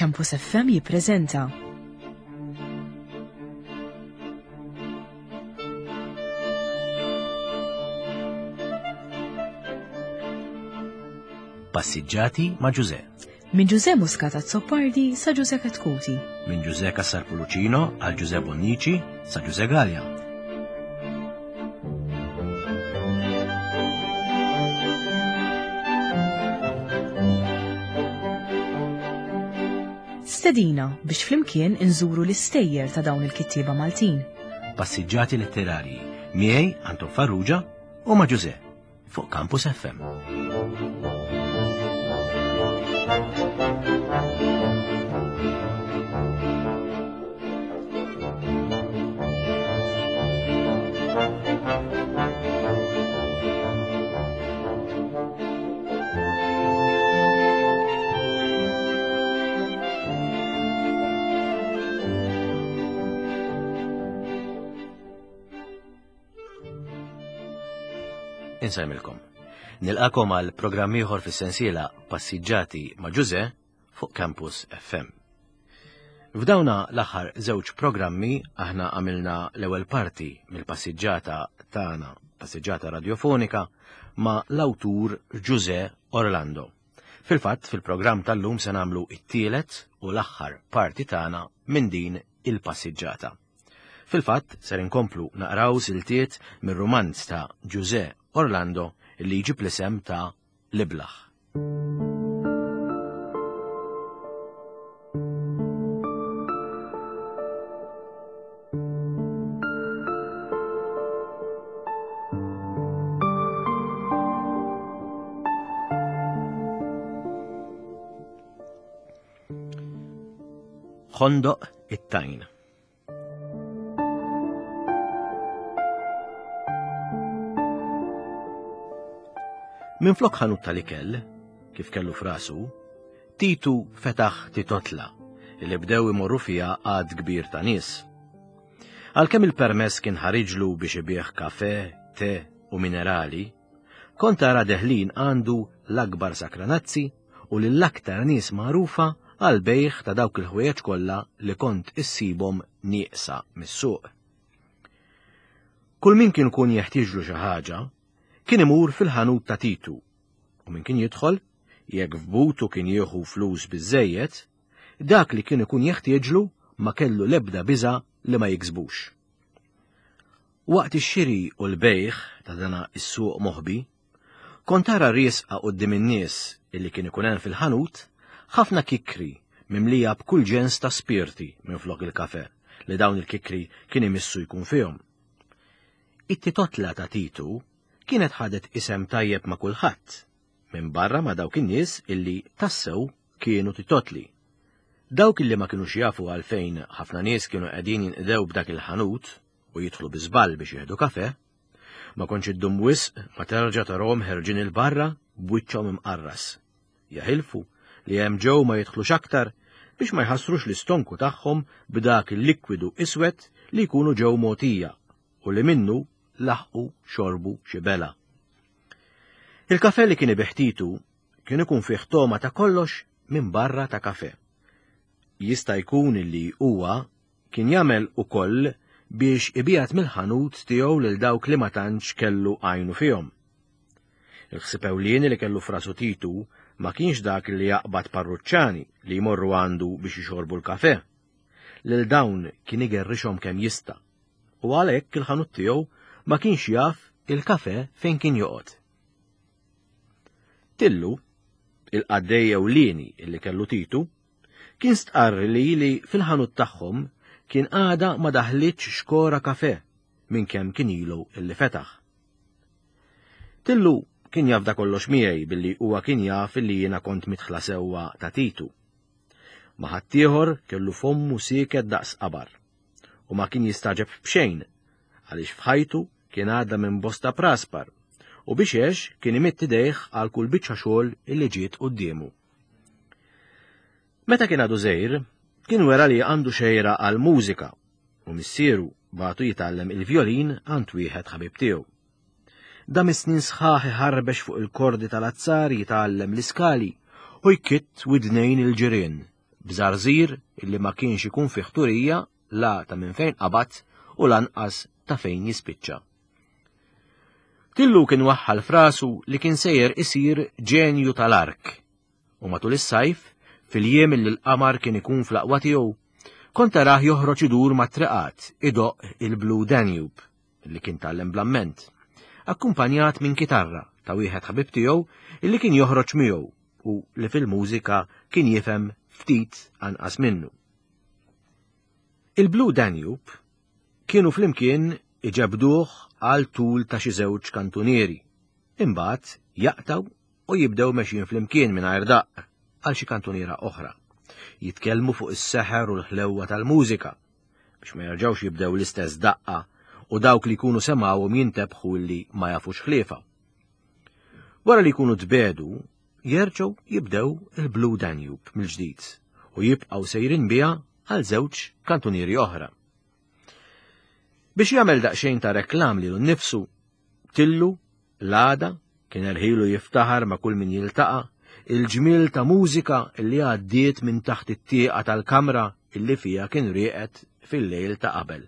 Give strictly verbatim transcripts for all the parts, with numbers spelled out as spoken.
Campus F M jippreżenta Passiġġati ma' Ġuże. Minn Ġuże Muscat Azzopardi sa Ġuże Chetcuti. Minn Ġuże Cassar Pullicino għal Ġuże Bonnici sa Ġuże Galea. Stedina biex flimkien inżuru l-istejjer ta' dawn il-kittieba Maltin. Passiġġati letterarji miegħi Anton Farrugia u ma' Ġuże fuq Campus F M. Insajmilkom. Nilqakom għal programm ieħor fis-sensiela Passiġġati ma' Ġuże fuq Campus F M. F'dawna l-aħħar żewġ programmi aħna għamilna l-ewwel parti mill-passiġġata tagħna, passiġġata radiofonika, ma' l-awtur Ġuże Orlando. Fil-fatt, fil-programm tal-lum se nagħmlu t-tielet u l-aħħar parti tagħna minn din il-passiġġata. Fil-fatt, ser inkomplu naqraw siltiet mir-rumanz ta' Ġuże Orlando li jġib l-isem ta' L-Iblah. Ħondoq it-tajn. Minn flok ħanut tal-ikel, kif kellu frasu, Titu fetaħ titotla li bdew imorru fiha għad kbir ta' nies. Għalkemm il-permess kien ħariġlu biex ibih kafe, te u minerali, kont tara deħlin għandu l-akbar sakranazzi u lill-aktar nies magħrufa għal bejħ ta' dawk il-ħwejjeġ kollha li kont issibhom nieqsa mis-suq. Kull min kien ikun jeħtieġlu xi ħaġa, kien imur fil-ħanut ta' Titu, u min kien jidħol, jekk f'butu kien jieħu flus biżżejjed, dak li kien ikun jeħtieġlu ma kellu l-ebda biża' li ma jiksbux. Waqt ix-xiri u l-bejħ ta' dana is-suq moħbi, kont tara riesqa quddiem in-nies illi kien ikun hemm fil-ħanut ħafna kikri mimlija b'kull ġens ta' spirti minflok il-kafe li dawn il-kikri kien imissu jkun fihom. It-titotla ta' Titu kienet ħadet isem tajjeb ma' kulħadd, minn barra ma' dawk in-nies illi tassew kienu titotli. Dawk illi ma kinux jafu għalfejn ħafna nies kienu qegħdin jinqdew b'dak il-ħanut u jidħlu bi żball biex jieħdu kafe, ma kontx iddum wisq ma terġa' tarahom ħerġin il-barra b'wiċċhom imqarras. Jaħilfu li hemm ġew ma jidħlux aktar biex ma jħassrux l-istonku tagħhom b'dak il-likwidu iswed li jkunu ġew mogħtija u li minnu laħqu xorbu xi bela. Il-kafe li kien ibih Titu kien ikun fih toma ta' kollox minn barra ta' kafe. Jista' jkun li huwa kien jagħmel ukoll biex ibijat mill-ħanut tiegħu lil dawk li ma tantx kellu għajnu fihom. Il-ħsieb ewlieni li kellu frasu Titu ma kienx dak li jaqbad parruċċani li jmorru għandu biex jixorbu l-kafe. Lil dawn kien igerrixhom kemm jista', u għalhekk il-ħanut tiegħu ma kienx jaf il-kafe fejn kien joqgħod. Tillu, il-qaddej ewlieni li kellu Titu, kien stqarr li li fil-ħanut tagħhom kien għada ma daħlitx xkora kafe minn kemm kien ilu illi fetaħ. Tillu kien jafda kollox miegħi billi huwa kien jaf illi jiena kont mitħla sewwa ta' Titu. Ma ħaddieħor kellu fommu sieket daqs qabar u ma kien jistaġeb b'xejn għaliex f'ħajtu kien għadda minn bosta praspar u biex għex kien imitt idejh għal kull biċċa xogħol illi ġiet quddiemu. Meta kien għadu żgħir, kien wera li għandu xejra għal mużika u missieru bagħtu jitgħallem il-vjolin għand wieħed ħabib tiegħu. Dam is-snin sħaħ iħarbex fuq il-kordi tal-azzar jitgħallem l-iskali u jkitt widnejn il-ġirien b'żarżir illi ma kienx ikun fih turija la ta' minn fejn qabad u lanqas ta' fejn jispiċċa. Tillu kien waħħal frasu li kien sejjer isir ġenju tal-ark u matul is-sajf, fil-jiem li l-qamar kien ikun fl-aqwa tiegħu, kont tarah joħroġ idur mat-triqat idoqq il-Blue Danube li kien tgħallem bl-amment, akkumpanjat minn kitarra ta' wieħed ħabib tiegħu illi kien joħroġ miegħu u li fil-mużika kien jifhem ftit anqas minnu. Il-Blue Danube kienu flimkien iġebduh għal tul ta' xi żewġ kantunieri, imbagħad jaqtaw u jibdew mexjin flimkien mingħajr daqq għal xi kantuniera oħra. Jitkellmu fuq is-seħer u l-ħlewwa tal-mużika biex ma jerġgħux jibdew l-istess daqqa u dawk li jkunu semgħuhom jintebħu li ma jafux ħliefa. Wara li jkunu tbedu, jerġgħu jibdew il-Blue Danube mill-ġdid u jibqgħu sejrin biha għal żewġ kantunieri oħra. Biex jagħmel daqsxejn ta' reklam lilu nnifsu, Tillu l-għada kien erħilu jiftaħar ma' kull min jiltaqa' il-ġmiel ta' mużika li għaddiet minn taħt it-tieqa tal-kamra illi fija kien rieqed fil-lejl ta' qabel.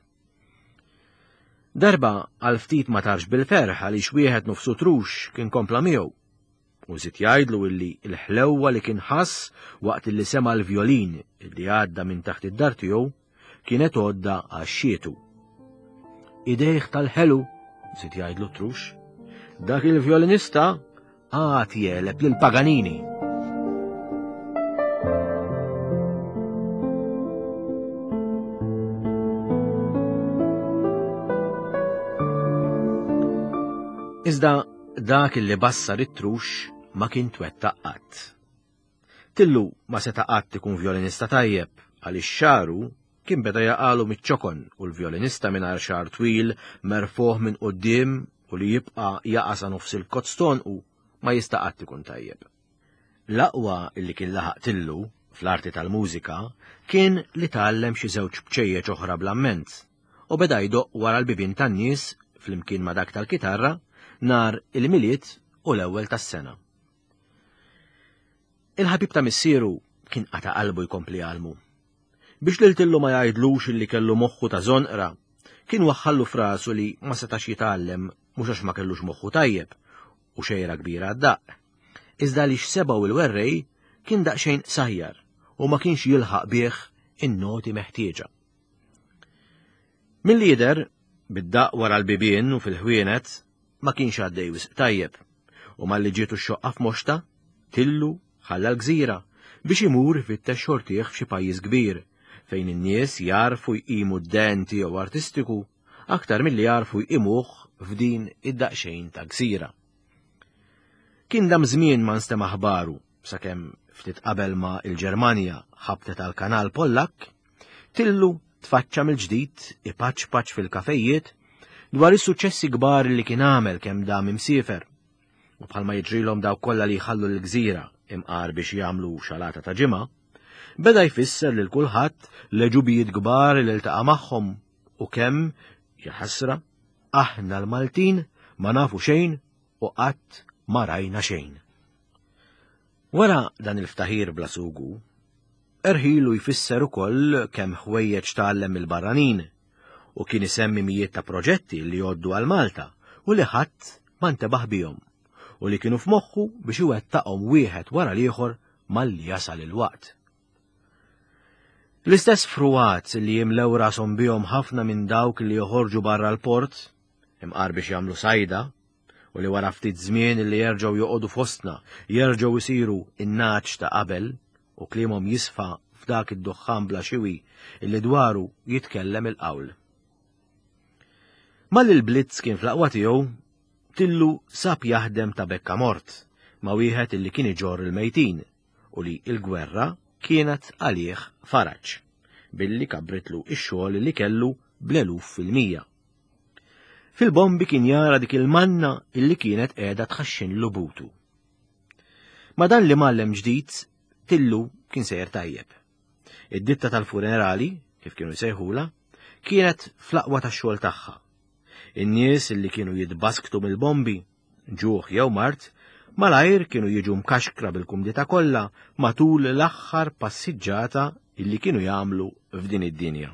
Darba għal ftit ma tarx bil-ferħ għaliex wieħed nofsu trux kien kompla miegħu. U żied jgħidlu illi l-ħlewwa li kien ħass waqt illi sema l-vjolin illi għadda minn taħt id-dar tiegħu kienet għodda għax-xietu. Idejh tal-ħelu, żied jgħidlu trux, dak il-vjolinista għad jeleb lil Paganini. Iżda dak illi bassar it-trux ma kien twettaq qatt. Tillu ma seta' qatt ikun vjolinista tajjeb għaliex xagħru kien beda jaqalu miċ-ċokon u l-vjolinista mingħajr xagħar twil merfuh minn quddiem u li jibqa' jaqa' sa nofs il-kotston u ma jista' qatt ikun tajjeb. L-aqwa illi kien laħaq Tillu fl-arti tal-mużika kien li tgħallem xi żewġ bċejjeċ oħra bl-amment u beda jdoqq wara l-bibien tan-nies flimkien ma' dak tal-kitarra nhar il-Milied u l-ewwel tas-sena. Il-ħabib ta' missieru kien qata' qalbu jkompli jgħallmu. Biex lil Tillu ma jgħidlux illi kellu moħħu ta' żonqra, kien waħħallu frasu li ma setax jitgħallem mhux għax ma kellux moħħu tajjeb u xejra kbira għad-daqq, iżda għaliex sebgħu il-werrej kien daqsxejn qsajjar u ma kienx jilħaq bih in-noti meħtieġa. Milli jidher, bid-daqq wara l-bibien u fil-ħwienet ma kienx għaddej wisq tajjeb, u malli ġietu x-xoqqa f'moxta, Tillu ħalla l-gżira biex imur ifittex xortih f'xi pajjiż kbir fejn in-nies jarfu jqimu d-den tiegħu artistiku aktar milli jarfu jqimuh f'din id-daqsxejn ta' gżira. Kien dam żmien ma nstema' aħbaru sakemm ftit qabel ma l-Ġermanja ħabtet għal kanal Pollak, Tillu tfaċċa mill-ġdid ipaċpaċ fil-kafejiet dwar is-suċċessi kbar li kien għamel kemm dam imsiefer. U bħalma jiġrilhom dawk kollha li jħallu l-gżira imqar biex jagħmlu xalata ta' ġimgħa, beda jfisser lil kulħadd l-għeġubijiet kbar li ltaqa' magħhom u kemm, jaħasra, aħna l-Maltin ma nafu xejn u qatt ma rajna xejn. Wara dan il-ftaħir bla sugu, erħilu jfisser ukoll kemm ħwejjeġ tgħallem mill-barranin u kien isemmi mijiet ta' proġetti li jgħoddu għal Malta u li ħadd ma ntebaħ bihom u li kienu f'moħħu biex iwettaqhom wieħed wara l-ieħor malli jasal il-waqt. L-istess fruwat li jimlew rashom bihom ħafna minn dawk li joħorġu barra l-port, imqar biex jagħmlu sajda, u li wara ftit żmien li jerġgħu joqogħdu fostna, jerġgħu jsiru in-naċ ta' qabel u kliemhom jisfa f'dak id-duħħan bla xiwi illi dwaru jitkellem il-qawl. Malli l-Blitz kien fl-aqwa tiegħu, Tillu sab jaħdem ta' bekka mort ma' wieħed illi kien iġorr il-mejtin u li l-gwerra kienet għalih faraġ, billi kabritlu ix-xogħol li kellu bl-eluf fil-mija. Fil-bombi kien jara dik il-manna illi kienet qiegħda tħaxxinlu butu. Ma dan li mgħallem ġdid, Tillu kien sejjer tajjeb. Id-ditta tal-funerali, kif kienu jsejħula, kienet fl-aqwa tax-xogħol tagħha. In-nies illi kienu jitbasktu mill-bombi, ġuħ jew mart, Malajr kienu jiġu mkaxkra bil-kumdità kollha matul l-aħħar passiġġata illi kienu jagħmlu f'din id-dinja.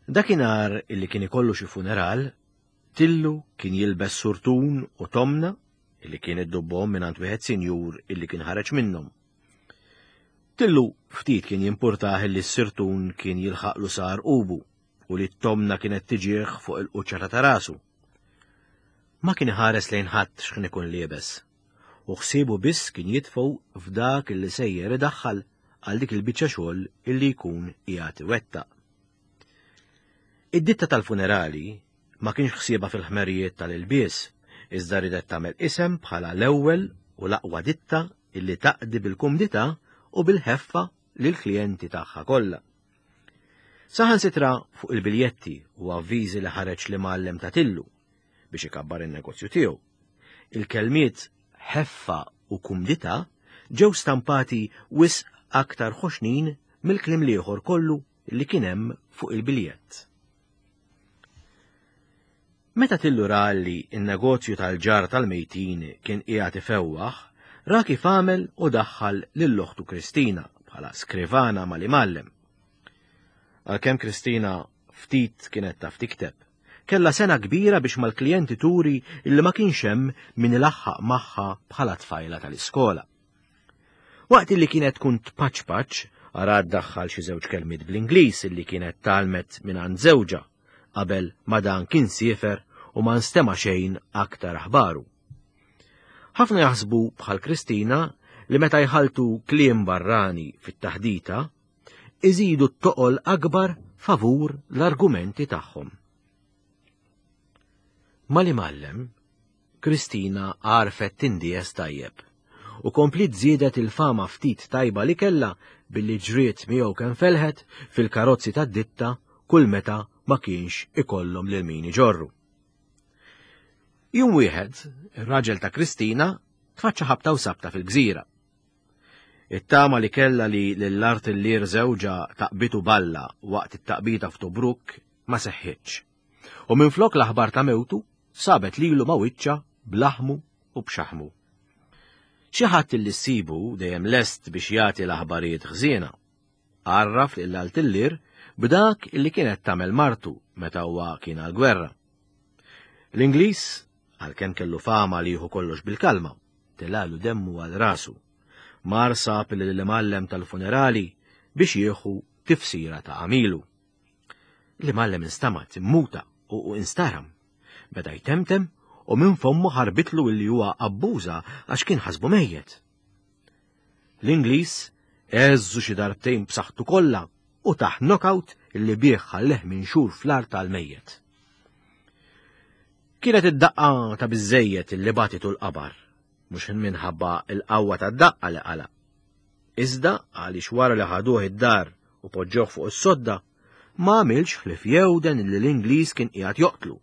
Dakinhar illi kien ikollu xi funeral, Tillu kien jilbes surtun u tomna illi kien iddubbhom mingħand wieħed sinjur illi kien ħareġ minnhom. Tillu ftit kien jimpurtah illi s-sirtun kien jilħaqlu sar ubu u li t-tomna kienet tiġih fuq il-quċċata ta' rasu. Ma kien iħares lejn ħadd x'kien ikun liebes, u ħsiebu biss kien jitfgħu f'dak illi sejjer idaħħal għal dik il-biċċa xogħol illi jkun qiegħed iwettaq. Id-ditta tal-funerali ma kienx ħsiebha fil-ħmerijiet tal-ilbies, iżda ridet tagħmel isem bħala l-ewwel u l-aqwa ditta illi taqdi bil-kumdità u bil-ħeffa lill-klijenti tagħha kollha. Saħansitra fuq il-biljetti u avviżi li ħareġ l-imgħallem ta' Tillu biex ikabbar in-negozju tiegħu. Il-kelmiet ħeffa u kumdità ġew stampati wisq aktar ħoxnin mill-kliem l-ieħor kollu li kien hemm fuq il-biljett. Meta Tillu ra li n-negozju tal-ġar tal-mejtin kien qiegħed ifewwaħ, ra kif għamel u daħħal lil oħtu Kristina bħala skrivana mal-imgħallem. Għalkemm Kristina ftit kienet taf tikteb, kellha sena kbira biex mal-klijenti turi illi ma kienx hemm min ilaħħaq magħha bħala tfajla tal-iskola. Waqt illi kienet tkun tpaċpaċ, arad daħħal xi żewġ kelmiet bl-Ingliż illi kienet talmet minn għand żewġha qabel ma dan kien siefer u ma nstema' xejn aktar aħbaru. Ħafna jaħsbu bħal Kristina li meta jħaltu kliem barrani fit-taħdita, iżidu t-toqol akbar favur l-argumenti tagħhom. Mal-imgħallem, Kristina għarfet tindies tajjeb u komplit żiedet il-fama ftit tajba li kellha billi ġriet miegħu kemm felħet fil-karozzi tad-ditta kull meta ma kienx ikollhom lil min iġorru. Jum wieħed, ir-raġel ta' Kristina tfaċċa ħabta u sabta fil-gżira. It-tama li kellha li lill-artillier żewġha taqbitu balla waqt it-taqbita f'Tobruk ma seħħitx. U minflok l-aħbar ta' mewtu sabet lilu ma' wiċċha b'laħmu u b'xaħmu. Xi ħadd li ssibu dejjem lest biex jagħti l-aħbarijiet ħżiena. Għarraf lill-artillier b'dak illi kienet tagħmel martu meta huwa kien għall-gwerra. L-Ingliż, għalkemm kellu fama li jieħu kollox bil-kalma, telalu demmu għal rasu. Mar sab lill-imgħallem tal-funerali biex jieħu tifsira ta' għamilu. L-imgħallem instamat, immuta u instaram. Beda jtemtem u minn fommu ħarbitlu illi huwa abbuża għax kien ħasbu mejjet. L-Ingliż għeżżu xi darbtejn b'saħħtu kollha u taħ knockout illi bih ħalleh minn xhur fl-art tal-mejjet. Kienet id-daqqa ta' biżejjed illi batitu l-qabar, mhux minħabba l-qawwa tad-daqqa li qala. Iżda għaliex wara li ħaduh id-dar u poġġewh fuq is-sodda, ma għamilx ħlief jewden li l-Ingliż kien qiegħed joqtlu.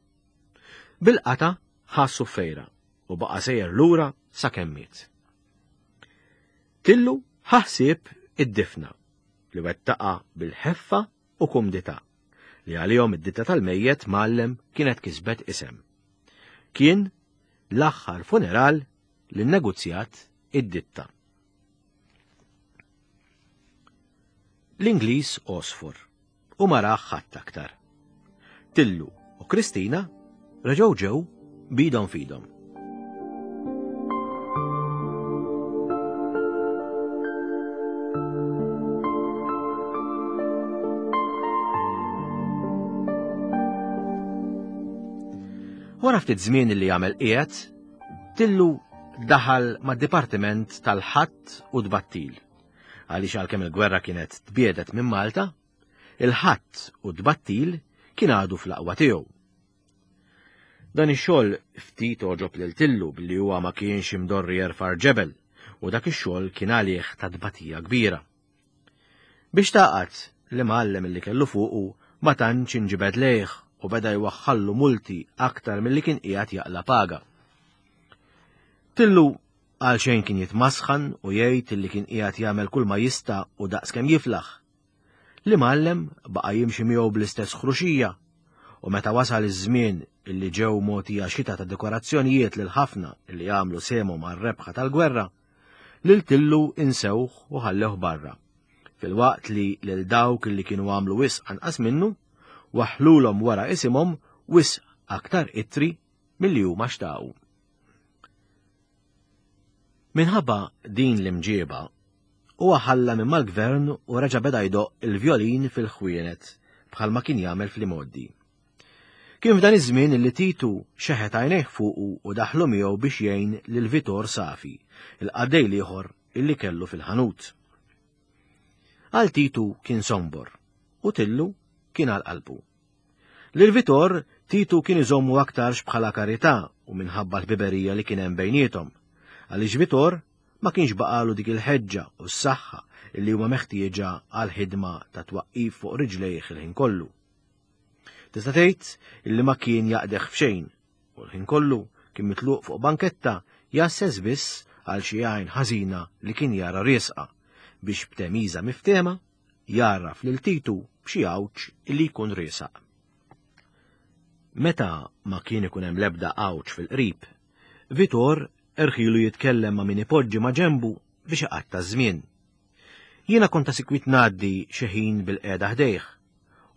Bil-qata ħassu fejra u baqa' sejjer lura sakemm miet. Tillu ħaħsieb id-difna li wettaqa bil-ħeffa u kumdità li għalihom id-ditta tal-mejjet mgħallem kienet kisbet isem. Kien l-aħħar funeral li nnegozjat id-ditta. L-Ingliż għosfor u ma rah ħadd aktar. Tillu u Kristina reġgħu ġew bidhom fidhom. Wara ftit żmien li jagħmel qiegħed, Tillu daħal mad-dipartiment tal-ħatt u tbattil. Għaliex għalkemm il-gwerra kienet tbiedet minn Malta, il-ħatt u tbattil kien għadu fl-aqwa tiegħu. Dan ix-xogħol ftit għoġob lil Tillu billi huwa ma kienx imdorri jerfa' ġebel u dak ix-xogħol kien għalih ta' tbatija kbira. Biex taqgħad l-imgħallem li kellu fuqu ma tantx inġibed lejh u beda jwaħħallu multi aktar milli kien qiegħed jaqla paga. Tillu għal xejn kien jitmasħan u jgħid li kien qiegħed jagħmel kull ma jista' u daqs kemm jiflaħ. L-imgħallem baqa' jimxi miegħu bl-istess ħruxija U meta wasal iż-żmien illi ġew mogħtija xita ta' dekorazzjonijiet lil ħafna illi għamlu sehemhom għar-rebħa tal-gwerra, lil Tillu insewh u ħallewh barra. Filwaqt li lil dawk illi kienu għamlu wisq anqas minnu, waħħlulhom wara isimhom wisq aktar ittri milli huma xtaqu. Minħabba din l-imġieba, huwa ħalla minn mal-gvern u reġa' beda jdoqq il-vjolin fil-ħwienet bħalma kien jagħmel fl-imgħoddi. Kien f'dan iż-żmien li Titu xeħet għajnejh fuqu u daħlu miegħu biex jgħin lil Vitor Safi, il-qaddej l-ieħor illi kellu fil-ħanut. Għal Titu kien sombor u Tillu kien għal qalbu. Lil Vitor Titu kien iżommu aktarx bħala karità u minħabba l-ħbiberija li kien hemm bejniethom, għaliex Vitor ma kienx baqalu dik il-ħeġġa u s-saħħa illi huma meħtieġa għal ħidma ta' twaqqif fuq riġlejh il-ħin kollu. Tista' tgħid illi ma kien jaqdeh f'xejn u l-ħin kollu kien mitluq fuq banketta jgħasses biss għal xi għajn ħażina li kien jara riesqa biex b'temiża miftehma jgħarraf lil Titu b'xi għawġ illi jkun riesaq. Meta ma kien ikun hemm l-ebda għawġ fil-qrib, Vitor erħilu jitkellem ma' min ipoġġi ma' ġenbu biex iqatta' ż-żmien. Jiena kont ta' sikwit ngħaddi xi ħin bil-qiegħda ħdejh,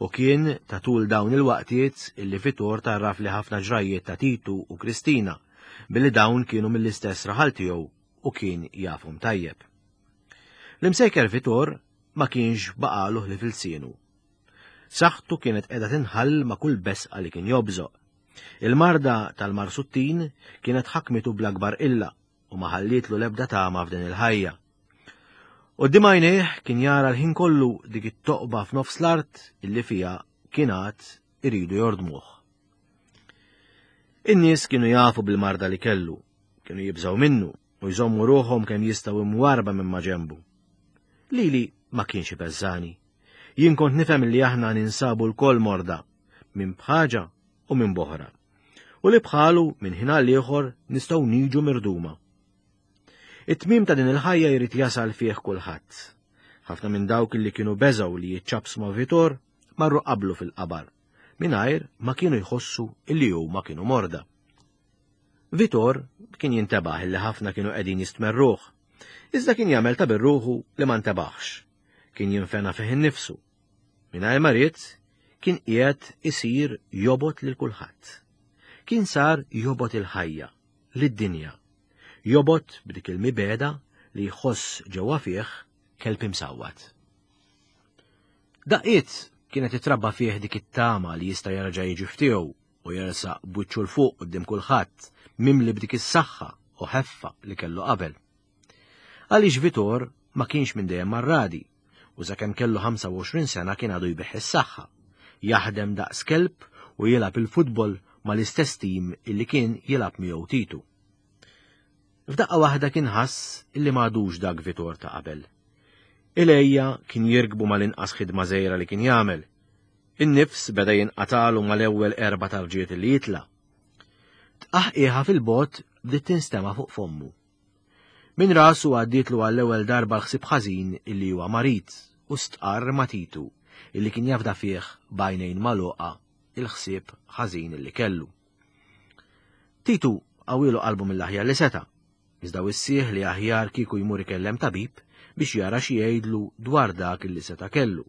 u kien ta' tul dawn il-waqtiet illi Vitor tarraf li ħafna ġrajjiet ta' Titu u Kristina, billi dawn kienu mill-istess raħal tiegħu u kien jafhom tajjeb. L-imsejker Vitor ma kienx baqalu ħlief ilsienu. Saħħtu kienet qiegħda tinħall ma' kull besqa li kien jobżoq. Il-marda tal-marsuttin kienet ħakmitu bl-akbar illa u ma ħallietlu l-ebda tama f'din il-ħajja. Quddiem għajnejh kien jara l-ħin kollu dik it-toqba f'nofs l-art illi fiha kien għad iridu jordmuh. In-nies kienu jafu bil-marda li kellu, kienu jibżgħu minnu u jżommu ruħhom kemm jistgħu imwarba minn ma ġenbu. Lili ma kienx ibeżżani. Jien kont nifhem li aħna ninsabu lkoll morda, minn bħaġa u minn boħra, u li bħalu minn ħin għal ieħor nistgħu niġu mirduma. It-tmiem ta' din il-ħajja jrid jasal fih kulħadd. Ħafna minn dawk li kienu beżgħu li jiċċapsu ma' Vitor marru qablu fil-qabar, mingħajr ma kienu jħossu illi huma kienu morda. Vitor kien jintebaħ illi ħafna kienu qegħdin jistmerruh, iżda kien jagħmel ta' birruħu li ma ntebaħx. Kien jinfena fih innifsu. Mingħajr ma ried kien qiegħed isir jobgħod lil kulħadd. Kien sar jobgħod il-ħajja, lid-dinja. Jobgħod b'dik il-mibegħda li jħoss ġewwa fih kelb imsawwat. Daqqiet kienet titrabba fih dik it-tama li jista' jerġa' jiġi f'tiegħu u jersaq b'wiċċu 'l fuq quddiem kulħadd mimli b'dik is-saħħa u ħeffa li kellu qabel. Għaliex Vitor ma kienx minn dejjem marradi u sakemm kellu ħamsa u għoxrin sena kien għadu jbigħ is-saħħa, jaħdem daqs kelb u jilgħab il-futbol mal-istess tim illi kien jilgħab miegħu Titu. F'daqqa waħda kien ħass illi m'għadux dak Vitor ta' qabel. Il-għejja kien jirkbu mal-inqas ħidma żgħira li kien jagħmel. In-nifs beda jinqatalu mal-ewwel erba' tarġiet li jitla'. Tqaħqiħa fil-bogħod bdiet tinstema' fuq fommu. Min rasu għaddietlu għall-ewwel darba l-ħsieb ħażin illi huwa marid u stqarr ma' Titu illi kien jafda fih b'għajnejn magħluqa il-ħsieb ħażin illi kellu. Titu qawwielu qalbu mill-aħjar li seta', iżda wissih li aħjar kieku jmur ikellem tabib biex jara xi jgħidlu dwar dak illi seta' kellu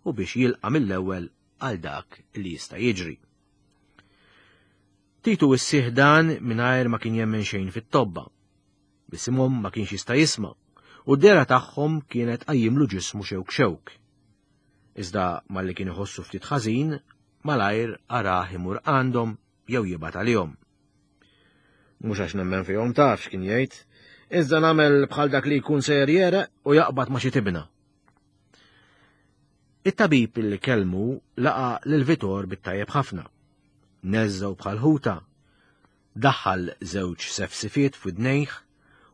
u biex jilqa' mill-ewwel għal dak li jista' jiġri. Titu wissih dan mingħajr ma kien jemmen xejn fit-tobba. Bisimhom ma kienx jista' jisma' u d-dehra tagħhom kienet qajjimlu ġismu xewk xewk. Iżda malli kien iħossu ftit ħażin, malajr arah imur għandhom jew jibgħat għalihom. Mhux għax nemmen fihom taf x'kien jgħid, iżda nagħmel bħal dak li jkun sejjer jereq u jaqbad ma' xi tibna. It-tabib li kellmu laqa' lil Vitor bit-tajjeb ħafna. Neżżgħu bħal ħuta, daħħal żewġ sefsifiet f'widnejh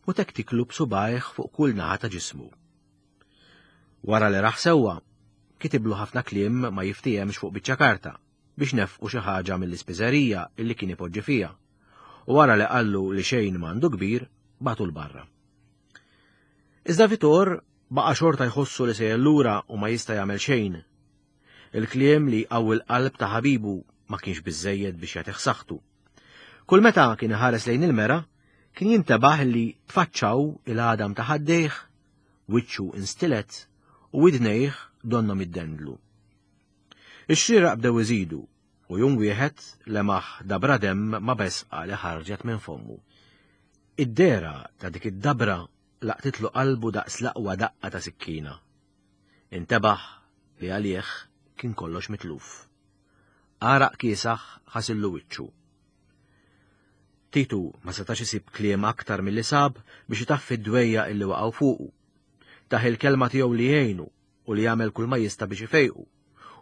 u tektiklu b'subgħajh fuq kull naħa ta' ġismu. Wara li raħ sewwa, kitiblu ħafna kliem ma jiftihemx fuq biċċa karta biex nefqu xi ħaġa mill-ispiżerija illi kien ipoġġi fiha. U wara li qallu li xejn m'għandu kbir, bagħtu l-barra. Iżda Vitor baqa' xorta jħossu li sejjer lura u ma jista' jagħmel xejn. Il-kliem li jqawwi l-qalb ta' ħabibu ma kienx biżżejjed biex jagħtih saħħtu. Kull meta kien iħares lejn il-mera, kien jintebaħ li tfaċċaw il-għadam ta' ħaddejh, wiċċu instilet u widnejh donnhom iddendlu. Ix-xieraq bdew iżidu u jum wieħed lemaħ dabra demm ma' besqa li ħarġet minn fommu. Id-dehra ta' dik id-dabra laqtitlu qalbu daqs l-aqwa daqqa ta' sikkina. Intebaħ li għalih kien kollox mitluf. Għaraq kiesaħ ħasillu wiċċu. Titu ma setax isib kliem aktar milli sab biex itaffi d-dwejjaq illi waqgħu fuqu. Tah il-kelma tiegħu li jgħinu u li jagħmel kull ma jista' biex ifejqu.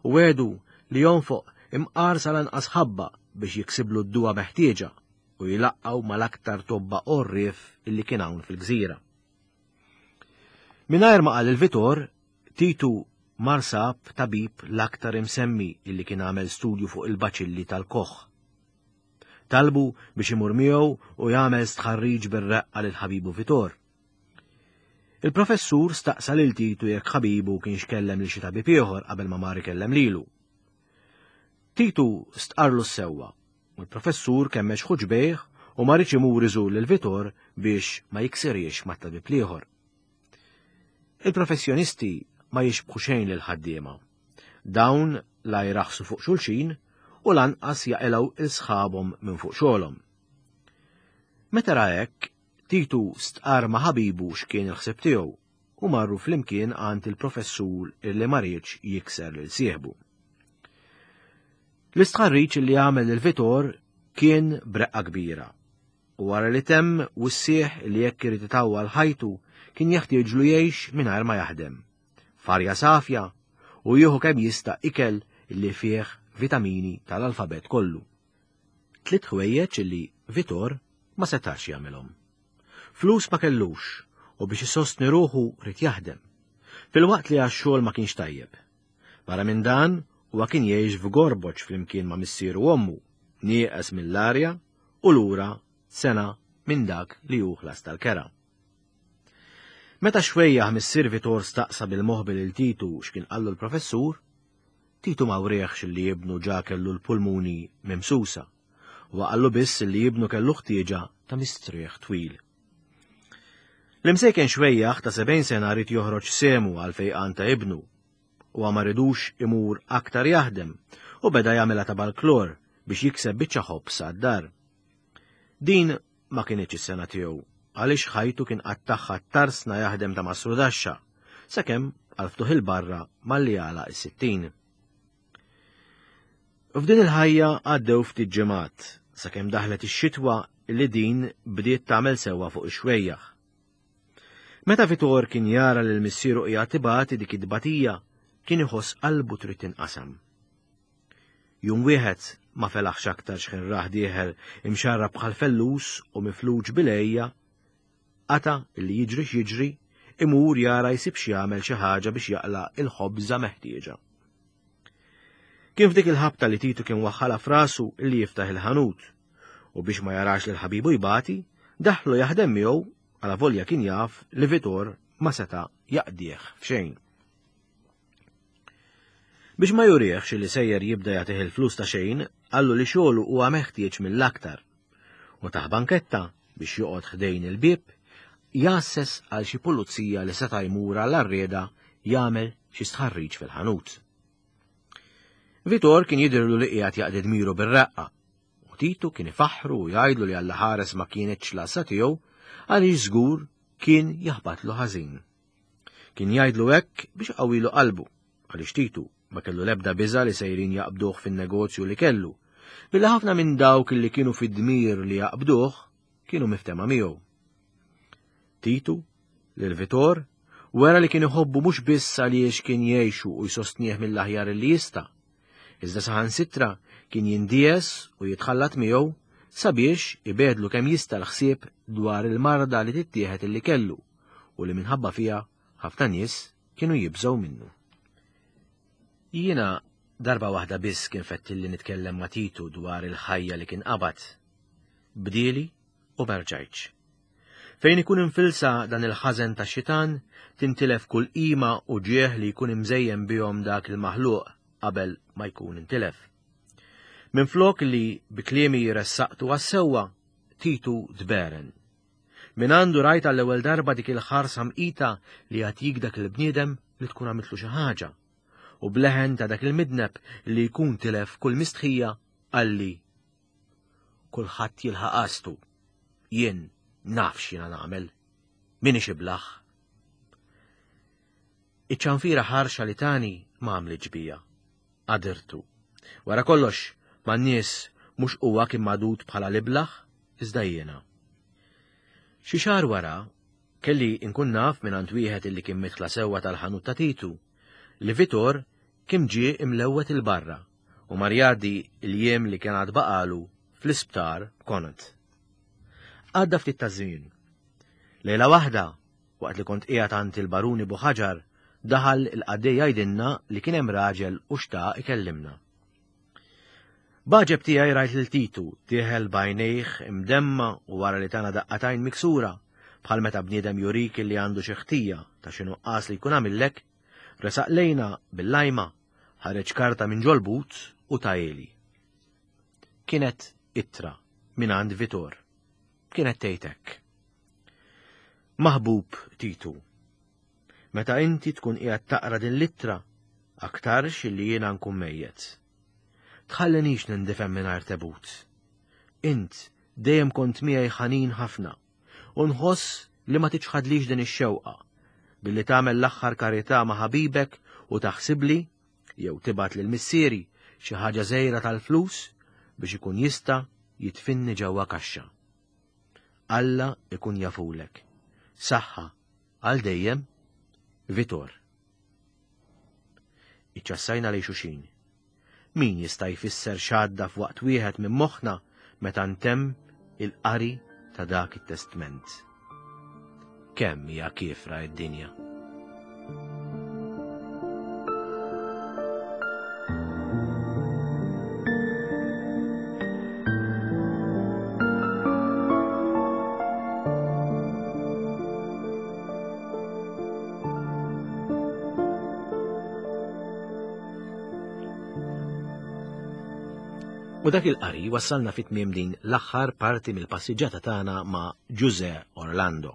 U wegħdu li jonfoq imqar sal-anqas ħabba biex jiksiblu d-duwa meħtieġa u jlaqqgħu mal-aktar tobba għorrief illi kien hawn fil-gżira. Mingħajr ma qal lil Vitor, Titu mar sab tabib l-aktar imsemmi illi kien għamel studju fuq il-baċilli tal-koħ. Talbu biex imur miegħu u jagħmel stħarriġ bir-reqqa lil ħabibu Vitor. Il-professur staqsa lil Titu jekk ħabibu kienx kellem lil xi tabib ieħor qabel ma mar ikellem lilu. Titu stqarlu s-sewwa u l-professur kemmex ħuġbejh u ma riedx imur iżur lil Vitor biex ma jiksiriex mat-tabib l-ieħor. Il-professjonisti ma jixbħu xejn lil ħaddiema. Dawn la jraħsu fuq xulxin u lanqas jaqilgħu 'l sħabhom minn fuq xogħolhom. Meta ra hekk, Titu stqar ma' ħabibu x'kien il-ħsieb tiegħu u marru flimkien għand il-professur illi ma riedx jikser lil sieħbu. L-istħarriġ li għamel lil Vitor kien b'reqqa kbira u wara li temm wissieh li jekk irid itawwal ħajtu kien jeħtieġlu jgħix mingħajr ma jaħdem. F'arja safja u jieħu kemm jista' ikel li fih vitamini tal-alfabet kollu. Tliet ħwejjeġ li Vitor ma setax jagħmilhom. Flus ma kellux u biex isostni ruħu ried jaħdem. Filwaqt li għax-xogħol ma kienx tajjeb. Barra minn dan huwa kien jgħix f'gorboċ flimkien ma' missieru u ommu, nieqes mill-arja u lura sena minn dak li hu ħlas tal-kera. Meta xwejjaħ missier Vitor staqsa bil-moħbi lil Titu x'kien qallu l-professur, Titu ma wriehx li ibnu ġa kellu l-pulmuni mimsusa, u qallu biss li ibnu kellu ħtieġa ta' mistrieħ twil. L-imsejken xwejjaħ ta' sebgħin sena ried joħroġ sehmu għal fejqan ta' ibnu, u ma ridux imur aktar jaħdem u beda jagħmilha ta' balklor biex jikseb biċċa ħobż għad-dar. Din ma kinitx is-sengħa tiegħu għaliex ħajtu kien qattagħha tarsna jaħdem ta' mastrudaxxa sakemm għal ftuħ il-barra malli għalaq is-sittin. F'din il-ħajja għaddew ftit ġimgħat sakemm daħlet ix-xitwa li din bdiet tagħmel sewwa fuq ix-xwejjaħ. Meta Vitor kien jara lil missieru qiegħed ibati dik id-tbatija, kien iħoss qalbu trid tinqasam. Jum wieħed ma felaħx aktar x'ħin rah dieħel imxarrab bħal fellus u mifluġ bil-għejja, qata' li jiġri x'jiġri imur jara jsib x'jagħmel xi ħaġa biex jaqla' il-ħobża meħtieġa. Kien f'dik il-ħabta li Titu kien waħħala f'rasu li jiftaħ il-ħanut u biex ma jarax lil ħabibu jbati, daħlu jaħdem miegħu għalavolja kien jaf li Vitor ma seta' jaqdih f'xejn. Biex ma jurihx li sejjer jibda jagħtih il-flus ta' xejn, qallu li xogħlu huwa meħtieġ mill-aktar. U tah banketta biex joqgħod ħdejn il-bieb, jgħasses għal xi pulizija li seta' jmur għall-arrieda jagħmel xi stħarriġ fil-ħanut. Vitor kien jidhirlu li qiegħed jaqdi dmiru bir-reqqa, u Titu kien ifaħħru u jgħidlu li Alla ħares ma kienetx l-għassa tiegħu għaliex żgur kien jaħbatlu ħażin. Kien jgħidlu hekk biex iqawwilu qalbu, għaliex Titu ma kellu l-ebda biża' li sejrin jaqbduh fin-negozju li kellu, billi ħafna minn dawk li kienu fid-dmir li jaqbduh kienu miftema miegħu. Titu, lil Vitor, wera li kien iħobbu mhux biss għaliex kien jgħixu u jsostnieh mill-aħjar li jista', iżda saħansitra kien jindies u jitħallat miegħu sabiex ibegħedlu kemm jista' l-ħsieb dwar il-marda li tittieħed illi kellu u li minħabba fiha ħafna nies kienu jibżgħu minnu. Jiena darba waħda biss kien fettilli nitkellem ma' Titu dwar il-ħajja li kien qabad. Bdieli u ma rġajtx. Fejn ikun infilsa dan il-ħażen tax-xitan, tintilef kull qima u ġieħ li jkun imżejjen bihom dak il-maħluq qabel ma jkun intilef. Minflok li bi kliemi ressaqtu għas-sewwa, Titu tberen. Min għandu rajt għall-ewwel darba dik il-ħarsa mqita li jagħtik dak il-bniedem li tkun għamiltlu xi ħaġa. U bleħen ta' dak il-midneb li jkun tilef kull mistħija qalli: Kulħadd jilħaq qastu. Jien naf x'jiena nagħmel. Minix iblaħ. Iċ-ċanfira ħarxa li tani ma għamlitx bija. Għadirtu. Wara kollox, man-nies mhux huwa kien magħdud bħala l-iblaħ, iżda jiena. Xi xahar wara, kelli nkun naf mingħand wieħed illi kien midħla sewwa tal-ħanut ta' Titu, li Vitor kien ġie imlewwet il-barra u mar jgħaddi l-jiem li kien għad baqalu fl-isptar Connaught. Għadda ftit ta' żmien. Lejla waħda, waqt li kont qiegħed għand il-Baruni Buħaġar, daħal il-qaddej jgħidilna li kien hemm raġel u xtaq ikellimna. B'għaġeb tiegħi rajt lil Titu dieħel b'għajnejh imdemma u wara li tana daqqatajn miksura, bħal meta bniedem jurik li għandu xi ħtija ta' xi nuqqas li jkun għamillek, resaq lejna bil-lajma, ħareġ karta minn ġol-but u tajeli. Kienet ittra minn għand Vitor. Kienet tgħid hekk: Maħbub Titu, meta inti tkun qiegħed taqra din l-ittra, aktarx illi jiena nkun mejjet. Tħallinix nindifem mingħajr tebut. Int dejjem kont miegħi ħanin ħafna, u nħoss li ma tiċħadlix din ix-xewqa, billi tagħmel l-aħħar karità ma' ħabibek u taħsibli jew tibgħat lil missieri xi ħaġa żgħira tal-flus biex ikun jista' jitfinni ġewwa kaxxa. Alla ikun jafulek. Saħħa għal dejjem, Vitor. Iċċassajna lejn xulxin. Min jista' jfisser x'għadda f'waqt wieħed minn moħħna meta ntemm il-qari ta' dak it-testment? Kemm hija kiefra d-dinja? U dak il-qari wassalna fit tmiem din l-aħħar parti mill-passiġġata tagħna ma' Ġużè Orlando.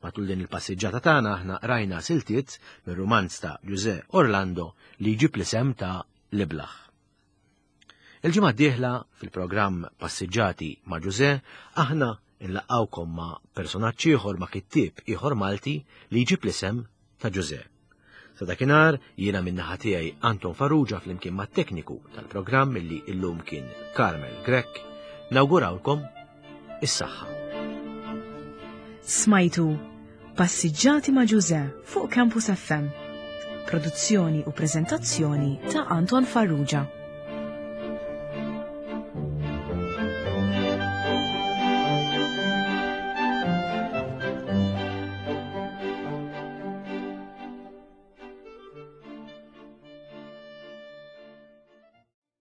Matul din il-passiġġata tagħna aħna qrajna siltiet mir-rumanz ta' Ġużè Orlando li jġib l-isem ta' L-Iblaħ. Il-ġimgħa d-dieħla fil-programm Passiġġati ma' Ġużè aħna nlaqgħukom ma' personaġġ ieħor, ma' kittieb ieħor Malti li jġib l-isem ta' Ġużè. Sa dakinhar jiena min-naħa tiegħi Anton Farrugia flimkien mat-tekniku tal-programm illi illum kien Carmel Grech, nawgurawlkom is-saħħa. Smajtu Passiġġati ma' Ġużè fuq Campus F M. Produzzjoni u preżentazzjoni ta' Anton Farrugia.